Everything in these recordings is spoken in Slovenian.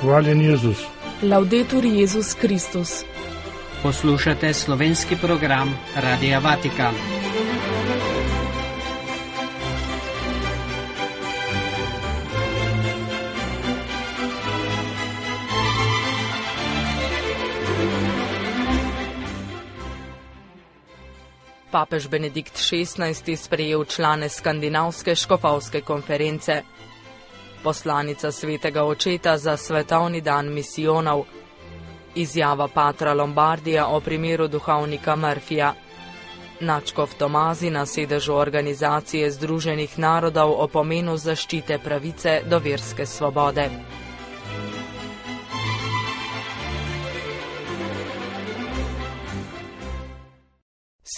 Hvaljen Jezus. Laudetur Jezus Kristus. Poslušate slovenski program Radia Vatikan. Papež Benedikt XVI. Sprejel člane Skandinavske škofovske konference. Poslanica Svetega Očeta za svetovni dan misijonov. Izjava patra Lombardija o primeru duhovnika Murphyja. Nadškof Tomazi na sedežu Organizacije Združenih narodov o pomenu zaščite pravice do verske svobode.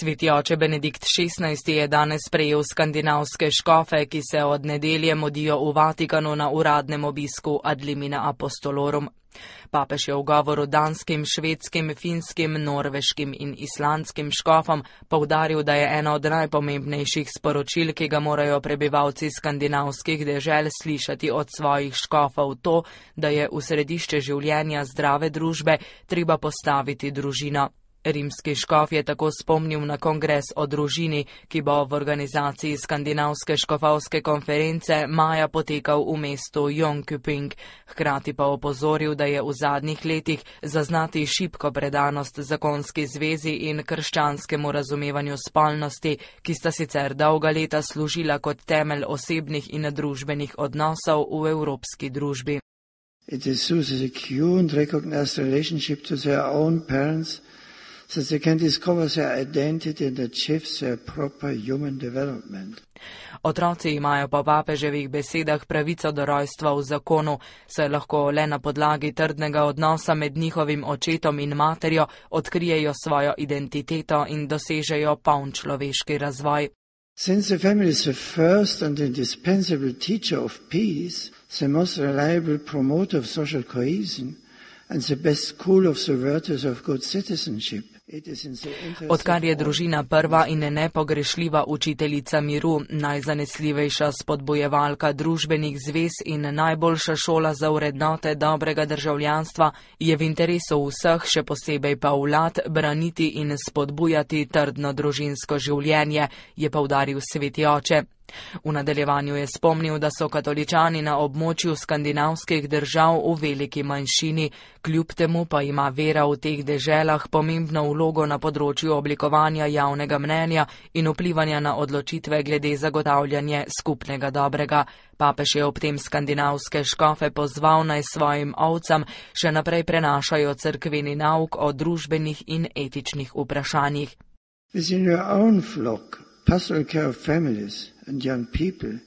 Sveti oče Benedikt XVI. Je danes sprejel skandinavske škofe, ki se od nedelje modijo v Vatikanu na uradnem obisku ad limina apostolorum. Papež je v govoru danskim, švedskim, finskim, norveškim in islandskim škofom poudaril, da je eno od najpomembnejših sporočil, ki ga morajo prebivalci skandinavskih dežel slišati od svojih škofov, to, da je v središče življenja zdrave družbe treba postaviti družino. Rimski škof je tako spomnil na kongres o družini, ki bo v organizaciji Skandinavske škofovske konference maja potekal v mestu Jönköping. Hkrati pa opozoril, da je v zadnjih letih zaznati šibko predanost zakonski zvezi in krščanskemu razumevanju spolnosti, ki sta sicer dolga leta služila kot temelj osebnih in družbenih odnosov v evropski družbi. It is through the secure and recognized relationship to their own parents that they can discover their identity and achieve their proper human development. Otroci imajo po papeževih besedah pravico do rojstva v zakonu, saj lahko le na podlagi trdnega odnosa med njihovim očetom in materjo odkrijejo svojo identiteto in dosežejo poln človeški razvoj. Since the family is the first and indispensable teacher of peace, the most reliable promoter of social cohesion, and the best school of the virtues of good citizenship. Odkar je družina prva in nepogrešljiva učiteljica miru, najzanesljivejša spodbojevalka družbenih zvez in najboljša šola za vrednote dobrega državljanstva, je v interesu vseh, še posebej pa vlad, braniti in spodbujati trdno družinsko življenje, je poudaril sveti oče. V nadaljevanju je spomnil, da so katoličani na območju skandinavskih držav v veliki manjšini, kljub temu pa ima vera v teh deželah pomembno vlogo na področju oblikovanja javnega mnenja in vplivanja na odločitve glede zagotavljanja skupnega dobrega. Papež je ob tem skandinavske škofe pozval, naj svojim ovcam še naprej prenašajo cerkveni nauk o družbenih in etičnih vprašanjih. Pastoral care of families and young people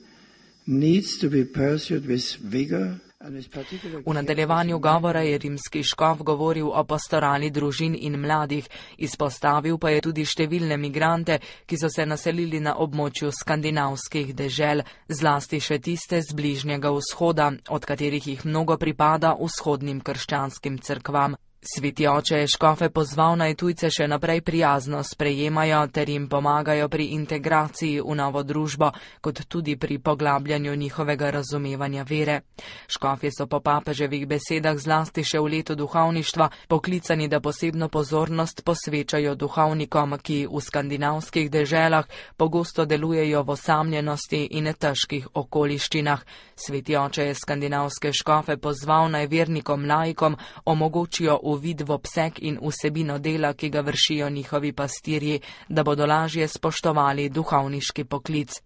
needs to be pursued with vigor and with particular. V nadaljevanju govora je rimski škof govoril o pastorali družin in mladih, izpostavil pa je tudi številne migrante, ki so se naselili na območju skandinavskih dežel, zlasti še tiste z Bližnjega vzhoda, od katerih jih mnogo pripada vzhodnim krščanskim cerkvam. Sveti oče je škofe pozval, naj tujce še naprej prijazno sprejemajo ter jim pomagajo pri integraciji v novo družbo, kot tudi pri poglabljanju njihovega razumevanja vere. Škofje so po papeževih besedah zlasti še v letu duhovništva poklicani, da posebno pozornost posvečajo duhovnikom, ki v skandinavskih deželah pogosto delujejo v osamljenosti in težkih okoliščinah. Sveti oče je skandinavske škofe pozval, naj vernikom laikom omogočijo uvid v obseg in vsebino dela, ki ga vršijo njihovi pastirji, da bodo lažje spoštovali duhovniški poklic.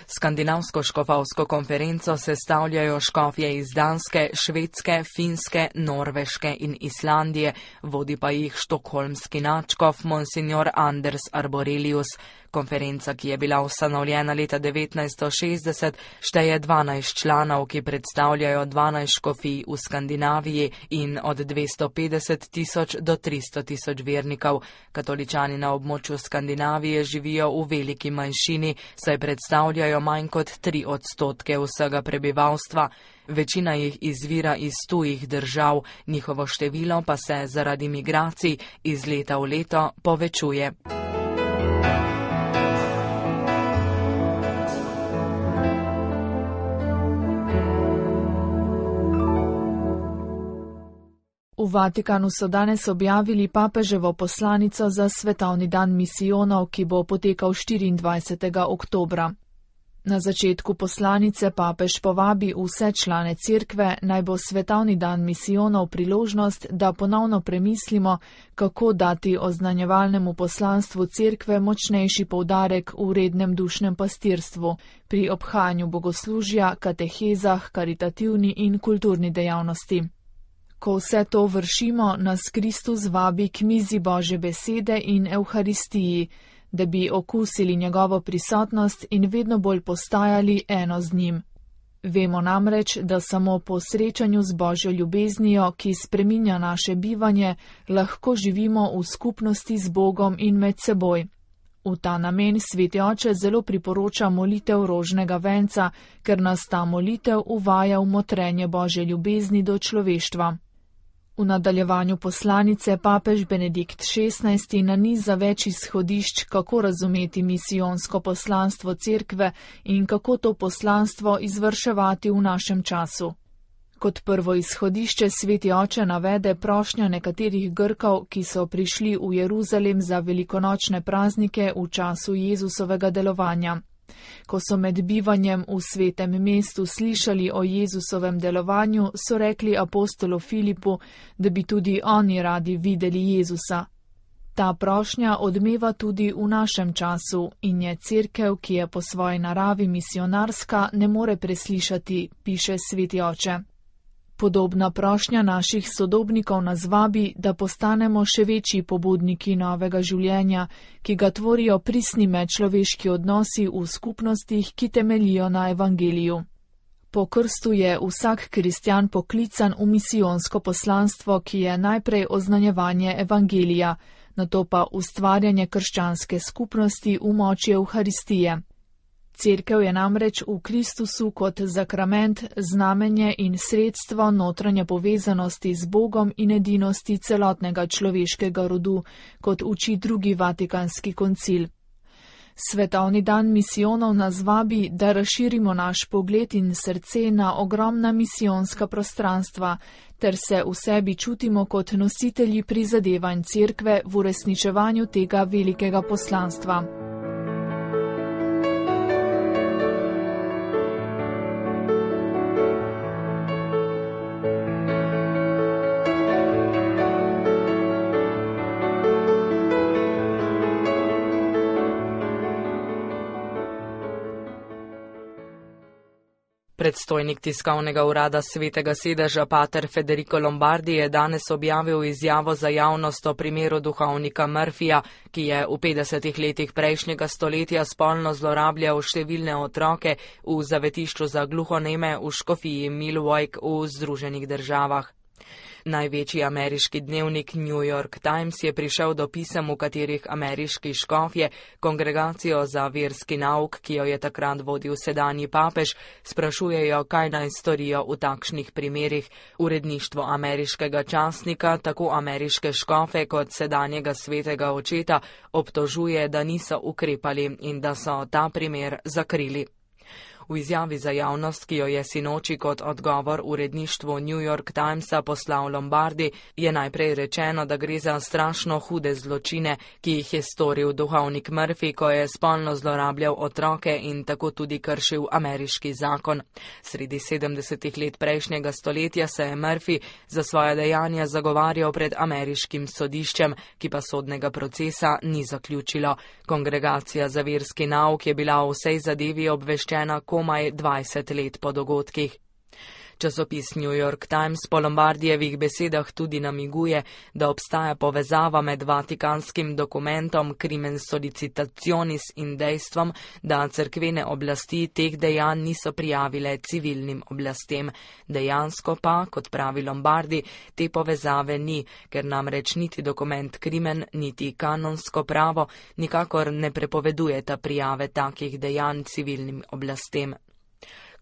Skandinavsko škofovsko konferenco sestavljajo škofje iz Danske, Švedske, Finske, Norveške in Islandije, vodi pa jih štokholmski nadškof Monsignor Anders Arborelius. Konferenca, ki je bila ustanovljena leta 1960, šteje 12 članov, ki predstavljajo 12 škofij v Skandinaviji in od 250 tisoč do 300 tisoč vernikov. Katoličani na območju Skandinavije živijo v veliki manjšini, saj predstavljajo manj kot 3% vsega prebivalstva. Večina jih izvira iz tujih držav, njihovo število pa se zaradi migracij iz leta v leto povečuje. V Vatikanu so danes objavili papeževo poslanico za svetovni dan misijonov, ki bo potekal 24. oktobra. Na začetku poslanice papež povabi vse člane cerkve, naj bo svetovni dan misijonov priložnost, da ponovno premislimo, kako dati oznanjevalnemu poslanstvu cerkve močnejši poudarek v rednem dušnem pastirstvu, pri obhajanju bogoslužja, katehezah, karitativni in kulturni dejavnosti. Ko vse to vršimo, nas Kristus vabi k mizi Božje besede in Evharistiji, da bi okusili njegovo prisotnost in vedno bolj postajali eno z njim. Vemo namreč, da samo po srečanju z Božjo ljubeznijo, ki spreminja naše bivanje, lahko živimo v skupnosti z Bogom in med seboj. V ta namen Sveti Oče zelo priporoča molitev rožnega venca, ker nas ta molitev uvaja v motrenje Božje ljubezni do človeštva. V nadaljevanju poslanice papež Benedikt XVI naniza več izhodišč, kako razumeti misijonsko poslanstvo cerkve in kako to poslanstvo izvrševati v našem času. Kot prvo izhodišče Sveti Oče navede prošnjo nekaterih Grkov, ki so prišli v Jeruzalem za velikonočne praznike v času Jezusovega delovanja. Ko so med bivanjem v svetem mestu slišali o Jezusovem delovanju, so rekli apostolu Filipu, da bi tudi oni radi videli Jezusa. Ta prošnja odmeva tudi v našem času in je cerkev, ki je po svoji naravi misionarska, ne more preslišati, piše Sveti Oče. Podobna prošnja naših sodobnikov nas vabi, da postanemo še večji pobudniki novega življenja, ki ga tvorijo pristni medčloveški odnosi v skupnostih, ki temeljijo na evangeliju. Po krstu je vsak kristjan poklican v misijonsko poslanstvo, ki je najprej oznanjevanje evangelija, nato pa ustvarjanje krščanske skupnosti v moči Evharistije. Cerkev je namreč v Kristusu kot zakrament, znamenje in sredstvo notranje povezanosti z Bogom in edinosti celotnega človeškega rodu, kot uči drugi Vatikanski koncil. Svetovni dan misijonov nas vabi, da razširimo naš pogled in srce na ogromna misijonska prostranstva, ter se v sebi čutimo kot nositelji prizadevanj cerkve v uresničevanju tega velikega poslanstva. Predstojnik tiskovnega urada Svetega sedeža pater Federico Lombardi je danes objavil izjavo za javnost o primeru duhovnika Murphyja, ki je v 50 letih prejšnjega stoletja spolno zlorabljal številne otroke v zavetišču za gluhoneme v škofiji Milwaukee v Združenih državah. Največji ameriški dnevnik New York Times je prišel do pisem, v katerih ameriški škofje kongregacijo za verski nauk, ki jo je takrat vodil sedanji papež, sprašujejo, kaj naj storijo v takšnih primerih. Uredništvo ameriškega časnika tako ameriške škofe kot sedanjega svetega očeta obtožuje, da niso ukrepali in da so ta primer zakrili. V izjavi za javnost, ki jo je sinoči kot odgovor uredništvu New York Timesa poslal Lombardi, je najprej rečeno, da gre za strašno hude zločine, ki jih je storil duhovnik Murphy, ko je spolno zlorabljal otroke in tako tudi kršil ameriški zakon. Sredi 70 let prejšnjega stoletja se je Murphy za svoje dejanja zagovarjal pred ameriškim sodiščem, ki pa sodnega procesa ni zaključilo. Kongregacija za verski nauk je bila o vsej zadevi obveščena komaj 20 let po dogodkih. Časopis New York Times po Lombardijevih besedah tudi namiguje, da obstaja povezava med vatikanskim dokumentom Crimen Sollicitationis in dejstvom, da cerkvene oblasti teh dejanj niso prijavile civilnim oblastem. Dejansko pa, kot pravi Lombardi, te povezave ni, ker namreč niti dokument Crimen, niti kanonsko pravo nikakor ne prepovedujeta prijave takih dejanj civilnim oblastem.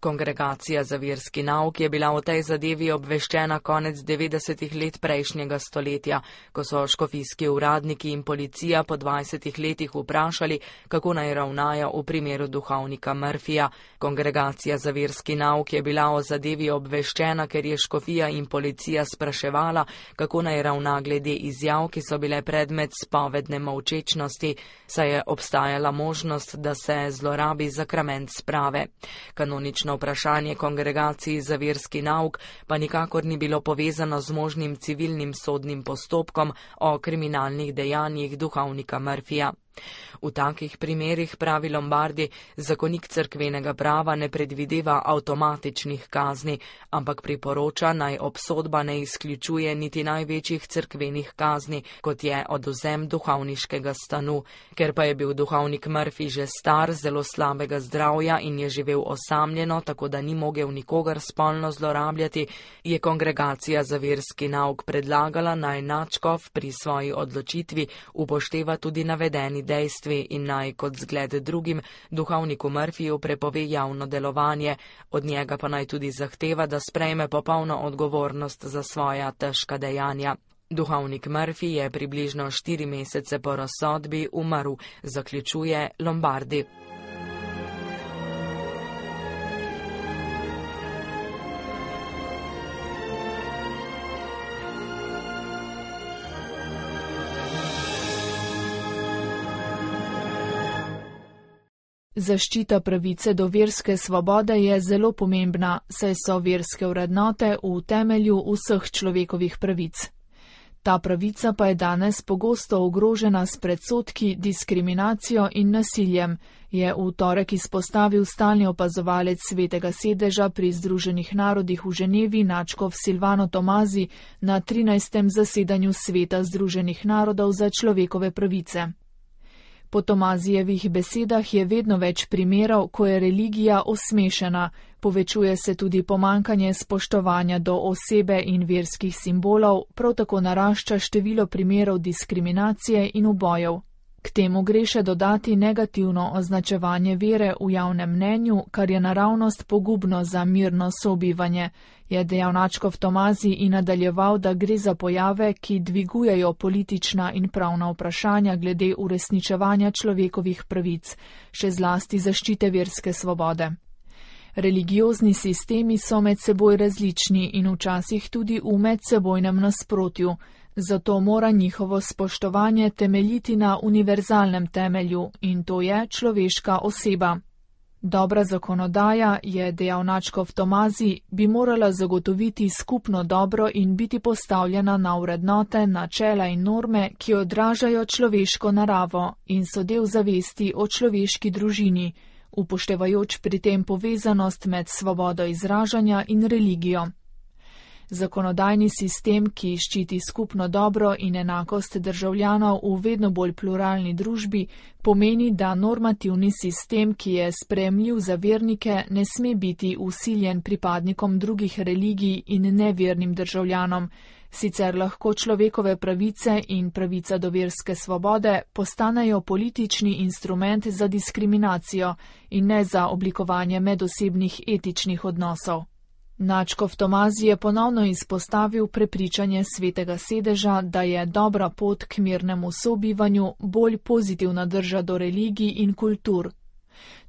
Kongregacija za verski nauk je bila o tej zadevi obveščena konec 90. let prejšnjega stoletja, ko so škofijski uradniki in policija po 20 letih vprašali, kako naj ravnajo v primeru duhovnika Murphyja. Kongregacija za verski nauk je bila o zadevi obveščena, ker je škofija in policija spraševala, kako naj ravna glede izjav, ki so bile predmet spovedne molčečnosti, saj je obstajala možnost, da se zlorabi sakrament sprave. Kanonično vprašanje kongregaciji za verski nauk pa nikakor ni bilo povezano z možnim civilnim sodnim postopkom o kriminalnih dejanjih duhovnika Murphyja. V takih primerih, pravi Lombardi, zakonik cerkvenega prava ne predvideva avtomatičnih kazni, ampak priporoča, naj obsodba ne izključuje niti največjih cerkvenih kazni, kot je odvzem duhovniškega stanu. Ker pa je bil duhovnik Murphy že star, zelo slabega zdravja in je živel osamljeno, tako da ni mogel nikogar spolno zlorabljati, je kongregacija za verski nauk predlagala, naj nadškof pri svoji odločitvi upošteva tudi navedeni dejstvi in naj kot zgled drugim duhovniku Murphyju prepove javno delovanje, od njega pa naj tudi zahteva, da sprejme popolno odgovornost za svoja težka dejanja. Duhovnik Murphy je približno 4 mesece po razsodbi umrl, zaključuje Lombardi. Zaščita pravice do verske svobode je zelo pomembna, saj so verske vrednote v temelju vseh človekovih pravic. Ta pravica pa je danes pogosto ogrožena s predsodki, diskriminacijo in nasiljem, je v torek izpostavil stalni opazovalec Svetega sedeža pri Združenih narodih v Ženevi nadškof Silvano Tomazi na 13. zasedanju Sveta Združenih narodov za človekove pravice. Po Tomazijevih besedah je vedno več primerov, ko je religija osmešena, povečuje se tudi pomankanje spoštovanja do osebe in verskih simbolov, prav tako narašča število primerov diskriminacije in ubojev. K temu gre še dodati negativno označevanje vere v javnem mnenju, kar je naravnost pogubno za mirno sobivanje, je dejal nadškof Tomazi in nadaljeval, da gre za pojave, ki dvigujejo politična in pravna vprašanja glede uresničevanja človekovih pravic, še zlasti zaščite verske svobode. Religiozni sistemi so med seboj različni in včasih tudi v medsebojnem nasprotju, zato mora njihovo spoštovanje temeljiti na univerzalnem temelju in to je človeška oseba. Dobra zakonodaja, je dejal nadškof Tomazi, bi morala zagotoviti skupno dobro in biti postavljena na vrednote, načela in norme, ki odražajo človeško naravo in so del zavesti o človeški družini, upoštevajoč pri tem povezanost med svobodo izražanja in religijo. Zakonodajni sistem, ki ščiti skupno dobro in enakost državljanov v vedno bolj pluralni družbi, pomeni, da normativni sistem, ki je sprejemljiv za vernike, ne sme biti vsiljen pripadnikom drugih religij in nevernim državljanom. Sicer lahko človekove pravice in pravica do verske svobode postanejo politični instrument za diskriminacijo in ne za oblikovanje medosebnih etičnih odnosov. Nadškof Tomazi je ponovno izpostavil prepričanje Svetega sedeža, da je dobra pot k mirnemu sobivanju bolj pozitivna drža do religij in kultur.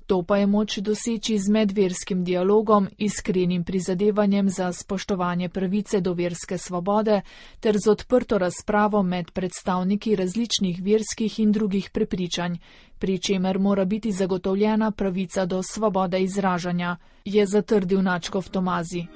To pa je moč doseči z medverskim dialogom, iskrenim prizadevanjem za spoštovanje pravice do verske svobode ter z odprto razpravo med predstavniki različnih verskih in drugih prepričanj, pri čemer mora biti zagotovljena pravica do svobode izražanja, je zatrdil nadškof Tomazi.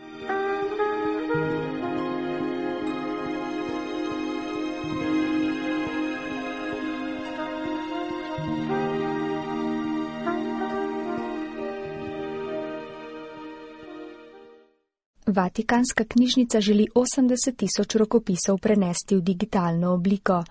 Vatikanska knjižnica želi 80.000 rokopisov prenesti v digitalno obliko.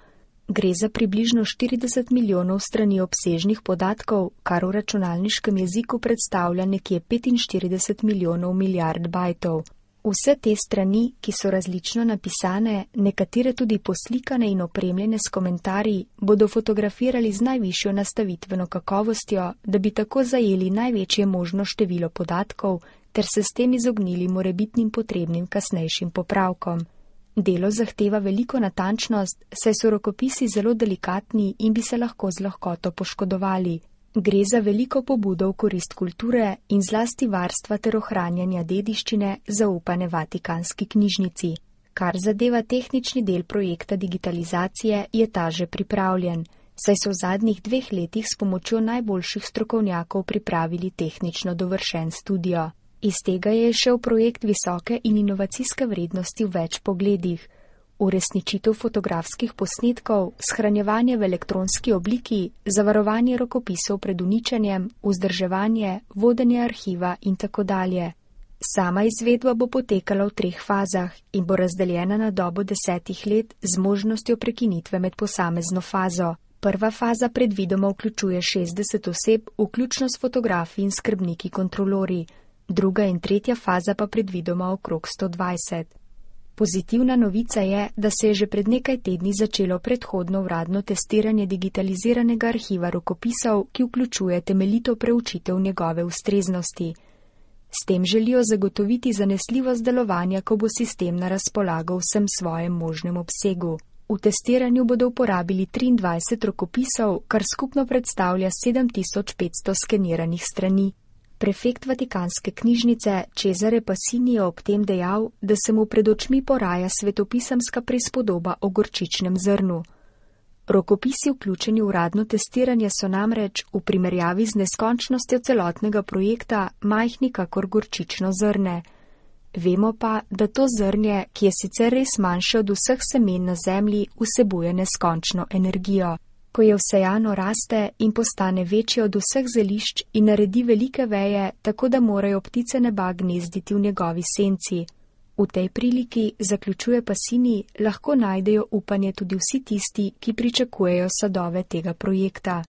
Gre za približno 40 milijonov strani obsežnih podatkov, kar v računalniškem jeziku predstavlja nekje 45 milijonov milijard bajtov. Vse te strani, ki so različno napisane, nekatere tudi poslikane in opremljene s komentarji, bodo fotografirali z najvišjo nastavitveno kakovostjo, da bi tako zajeli največje možno število podatkov, ter se s tem izognili morebitnim potrebnim kasnejšim popravkom. Delo zahteva veliko natančnost, saj so rokopisi zelo delikatni in bi se lahko z lahkoto poškodovali. Gre za veliko pobudo v korist kulture in zlasti varstva ter ohranjanja dediščine zaupane Vatikanski knjižnici. Kar zadeva tehnični del projekta digitalizacije, je ta že pripravljen, saj so v zadnjih 2 letih s pomočjo najboljših strokovnjakov pripravili tehnično dovršen studio. Iz tega je šel projekt visoke in inovacijske vrednosti v več pogledih. Uresničitev fotografskih posnetkov, shranjevanje v elektronski obliki, zavarovanje rokopisov pred uničenjem, vzdrževanje, vodenje arhiva in tako dalje. Sama izvedba bo potekala v 3 fazah in bo razdeljena na dobo 10 let z možnostjo prekinitve med posamezno fazo. Prva faza predvidoma vključuje 60 oseb, vključno s fotografi in skrbniki kontrolori. Druga in tretja faza pa predvidoma okrog 120. Pozitivna novica je, da se je že pred nekaj tedni začelo predhodno uradno testiranje digitaliziranega arhiva rokopisov, ki vključuje temeljito preučitev njegove ustreznosti. S tem želijo zagotoviti zanesljivost delovanja, ko bo sistem na razpolago vsem svojem možnem obsegu. V testiranju bodo uporabili 23 rokopisov, kar skupno predstavlja 7500 skeniranih strani. Prefekt Vatikanske knjižnice Cesare Passini je ob tem dejal, da se mu pred očmi poraja svetopisemska prispodoba o gorčičnem zrnu. Rokopisi vključeni v uradno testiranje so namreč, v primerjavi z neskončnostjo celotnega projekta, majhni kakor gorčično zrne. Vemo pa, da to zrnje, ki je sicer res manjše od vseh semen na zemlji, vsebuje neskončno energijo. Ko je vsejano, raste in postane večje od vseh zelišč in naredi velike veje, tako da morajo ptice neba gnezditi v njegovi senci. V tej priliki, zaključuje Passini, lahko najdejo upanje tudi vsi tisti, ki pričakujejo sadove tega projekta.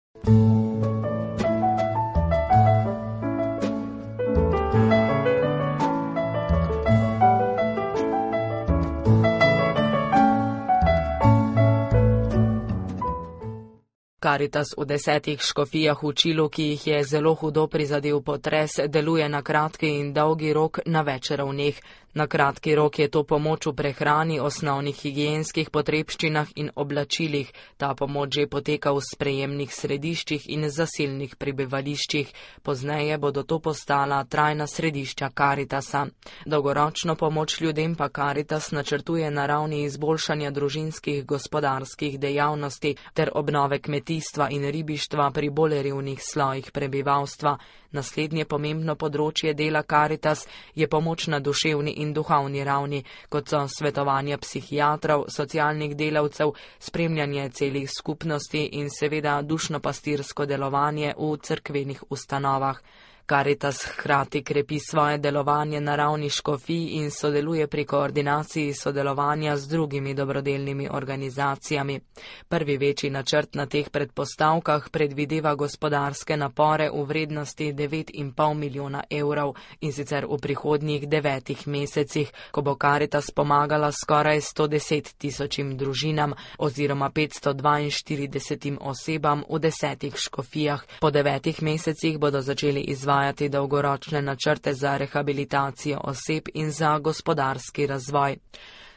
Karitas v 10 škofijah v Čilu, ki jih je zelo hudo prizadel potres, deluje na kratki in dolgi rok na več ravneh. Na kratki rok je to pomoč v prehrani, osnovnih higienskih potrebščinah in oblačilih. Ta pomoč že poteka v sprejemnih središčih in zasilnih prebivališčih. Pozneje bodo to postala trajna središča Karitasa. Dolgoročno pomoč ljudem pa Karitas načrtuje na ravni izboljšanja družinskih gospodarskih dejavnosti ter obnove kmetijstva in ribištva pri bolj revnih slojih prebivalstva. Naslednje pomembno področje dela Karitas je pomoč na duševni in duhovni ravni, kot so svetovanja psihiatrov, socialnih delavcev, spremljanje celih skupnosti in seveda dušno-pastirsko delovanje v cerkvenih ustanovah. Karitas hkrati krepi svoje delovanje na ravni škofij in sodeluje pri koordinaciji sodelovanja z drugimi dobrodelnimi organizacijami. Prvi večji načrt na teh predpostavkah predvideva gospodarske napore v vrednosti 9,5 milijona evrov in sicer v prihodnjih 9 mesecih, ko bo Karitas pomagala skoraj 110 tisočim družinam oziroma 542 osebam v 10 škofijah. Po 9 mesecih bodo začeli izvajati dolgoročne načrte za rehabilitacijo oseb in za gospodarski razvoj.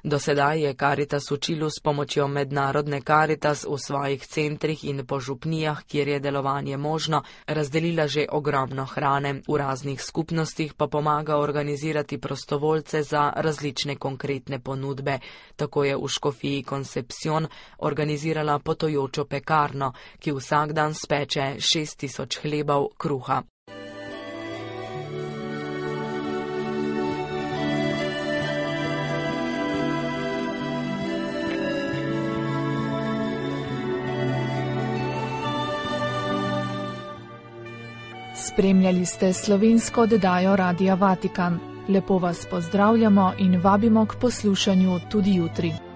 Do sedaj je Karitas v Čilu s pomočjo mednarodne Karitas v svojih centrih in po župnijah, kjer je delovanje možno, razdelila že ogromno hrane. V raznih skupnostih pa pomaga organizirati prostovoljce za različne konkretne ponudbe. Tako je v škofiji Concepción organizirala potujočo pekarno, ki vsak dan speče 6000 hlebov kruha. Spremljali ste slovensko oddajo Radia Vatikan. Lepo vas pozdravljamo in vabimo k poslušanju tudi jutri.